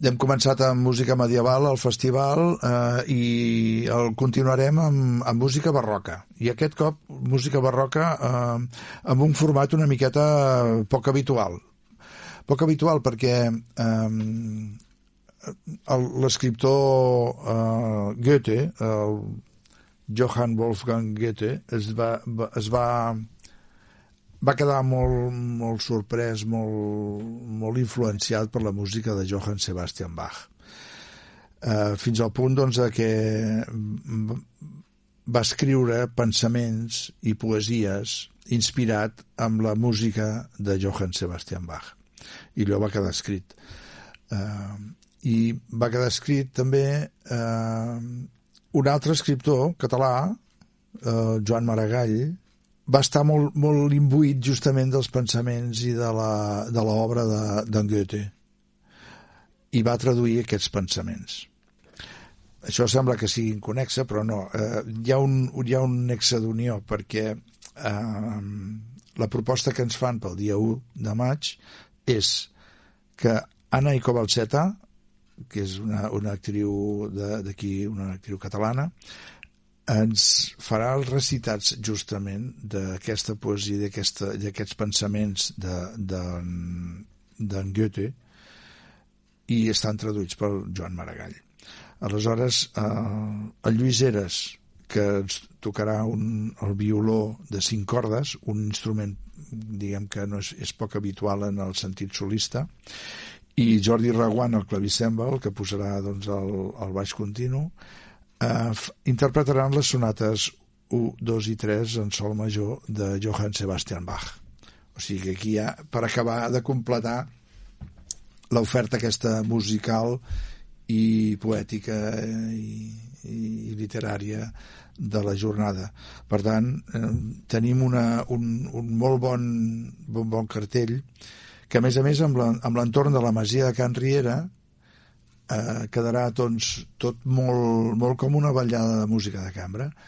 Hem començat amb música medieval al festival i el continuarem amb música barroca. I aquest cop música barroca amb un format una miqueta poc habitual. Poc habitual perquè l'escriptor Goethe, el Johann Wolfgang Goethe, va quedar molt sorprès, molt influenciat per la música de Johann Sebastian Bach. Fins al punt doncs, que va escriure pensaments i poesies inspirat amb la música de Johann Sebastian Bach. I allò va quedar escrit. I va quedar escrit també un altre escriptor català, Joan Maragall, va estar molt imbuït justament dels pensaments i de l'obra d'en Goethe i va traduir aquests pensaments. Això sembla que sigui inconnexe, però no. Hi ha un nexe d'unió, perquè la proposta que ens fan pel dia 1 de maig és que Anna Kovalcheta, que és una actriu d'aquí, una actriu catalana, ens farà els recitats justament d'aquesta poesia, d'aquests pensaments d'en Goethe, i estan traduïts pel Joan Maragall. Aleshores, el Lluís Heras, que ens tocarà el violó de 5 cordes, un instrument, diguem que no és poc habitual en el sentit solista, i Jordi Reguant, el clavicèmbal, que posarà doncs, el baix continu, interpretaran les sonates 1, 2 i 3 en sol major de Johann Sebastian Bach. O sigui que aquí ja, per acabar de completar l'oferta aquesta musical i poètica i literària de la jornada. Per tant, tenim un molt bon cartell que, a més, amb l'entorn de la masia de Can Riera, quedarà doncs, tot molt com una ballada de música de cambra.